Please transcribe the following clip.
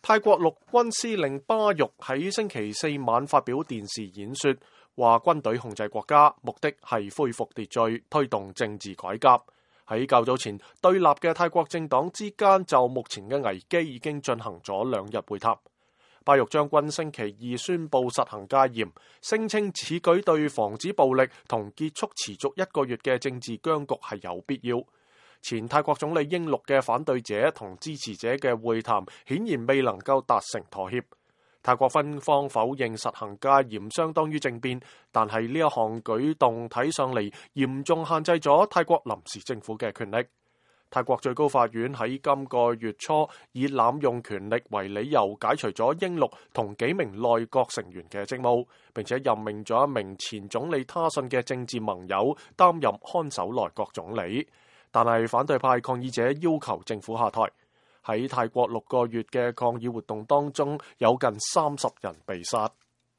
泰國陸軍司令巴育喺星期四晚發表電視演說，話軍隊控制國家，目的係恢復秩序，推動政治改革。喺較早前，對立嘅泰國政黨之間就目前嘅危機已經進行咗2日會談。巴育將軍星期二宣布實行戒嚴，聲稱此舉對防止暴力同結束持續1個月嘅政治僵局係有必要。前泰國總理英祿嘅反對者同支持者嘅會談顯然未能夠達成妥協。泰國軍方否認實行戒嚴相當於政變，但係呢一項舉動睇上嚟嚴重限制咗泰國臨時政府嘅權力。泰國最高法院喺今個月初以濫用權力為理由解除咗英祿同幾名內閣成員嘅職務，並且任命咗一名前總理他信嘅政治盟友擔任看守內閣總理。但係反對派抗議者要求政府下台。喺泰國6個月嘅抗議活動當中，有近30人被殺。